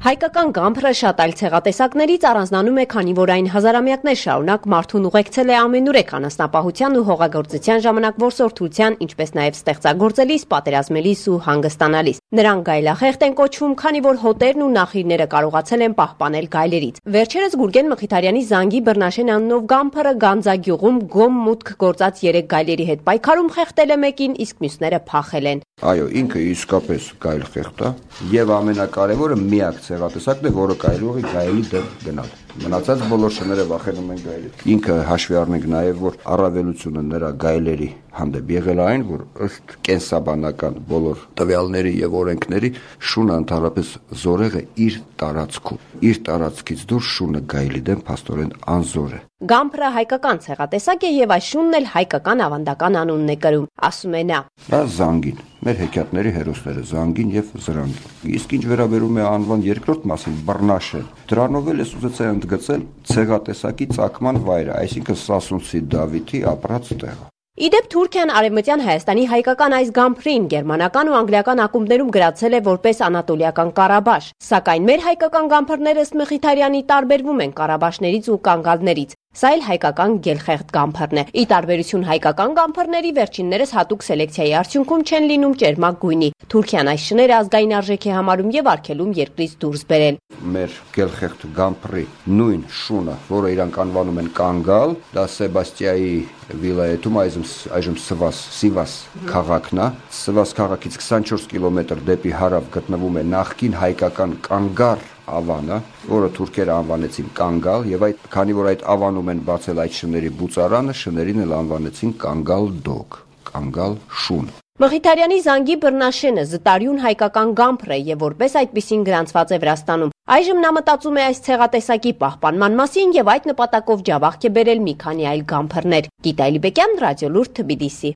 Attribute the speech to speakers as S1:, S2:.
S1: Հայկական գամփրը շատ այլ ցեղատեսակներից առանձնանում է, քանի որ այն հազարամյակներ շարունակ մարդուն ուղեկցել է ամենուրեք անասնապահության ու հողագործության ժամանակ որսորդության, ինչպես նաև ստեղծագործելիս, պատերազմելիս ու հանգստանալիս։ Նրանք գայլախեղտ են կոչվում, քանի որ հոտերն ու նախիրները կարողացել են պահպանել գայլերից։ Վերջերս Գուրգեն Մխիթարյանի Զանգի Բռնաշեն անունով գամփրը Գանձագյուղում գոմ մուտք գործած 3 գայլերի հետ պայքարում խեղդել է մեկին, իսկ մյուսները փախել են։
S2: Այո, ինքը իսկապես գայլ խեղդ է եւ ամենակարևորը միակ ցեղատեսակն է, որը կարելի է գայլի դեմ գնալ։ Մնացած բոլոր շները վախենում են գայլից։ Ինքը հաշվի առնենք նաեւ, որ առավելությունը նրա գայլերի հանդեպ եղել այն, որ ըստ կենսաբանական բոլոր տվյալների եւ օրենքների շունը ընդհանրապես զորեղ է իր տարածքում։ Իր տարածքից դուրս շունը գայլի դեմ փաստորեն անզոր է։
S1: Գամփրը հայկական ցեղատեսակ է եւ այս շունն էլ հայկական ավանդական անունն է կրում, ասում է նա։
S2: Դա Զանգին, մեր հեքիաթների հերոսները Զանգին եւ Զրանգին։ Իսկ ինչ վերաբերում է անվան երկրորդ մասին, Բռնաշեն, դրանով էլ ուզեցա ընդգծել ցեղատեսակի ծագման վայրը, այսինքն Սասունցի Դավիթի ապրած տեղը։
S1: Իդեպ Թուրքիան Արևմտյան Հայաստանի հայկական այս գամփրին գերմանական ու անգլիական ակումբներում գրացել է որպես Անատոլիական Ղարաբաշ, սակայն մեր հայկական գամփրները ըստ Մխիթարյանի տարբերվում են ղարաբաշներից ու կանգալներից։ Սա էլ հայկական գելխեղդ գամփրն է։ Ի տարբերություն հայկական գամփրների վերջիններս հատուկ սելեկցիայի արդյունքում չեն լինում ճերմակ գույնի։ Թուրքիան այս շները ազգային արժեք է համարում եւ արգելում երկրից դուրս բերել։
S2: Մեր գելխեղդ գամփրի նույն շունը, որը իրանք անվանում են կանգալ, դա Սեբաստիայի վիլայեթում այժմ Սիվաս քաղաքն է։ Սիվաս քաղաքից 24 կիլոմետր դեպի հարավ գտնվում է նախկին հայկական Կանգար ավանը, որը թուրքերը անվանեցին Կանգալ, եւ քանի որ այդ ավանում են բացել այդ շների բուծարանը, շներին էլ անվանեցին Կանգալ դոգ, Կանգալ շուն։
S1: Մխիթարյանի Զանգի Բռնաշենը զտարյուն հայկական գամփր է եւ որպես այդպիսին գրանցված է Վրաստանում։ Այժմ նա մտածում է այս ցեղատեսակի պահպանման մասին եւ այդ նպատակով ջավախք է բերել մի քանի այլ գամփրներ։ Գիտա Ալիբեկյան, Ռադիոլուրդ, Թբիլիսի։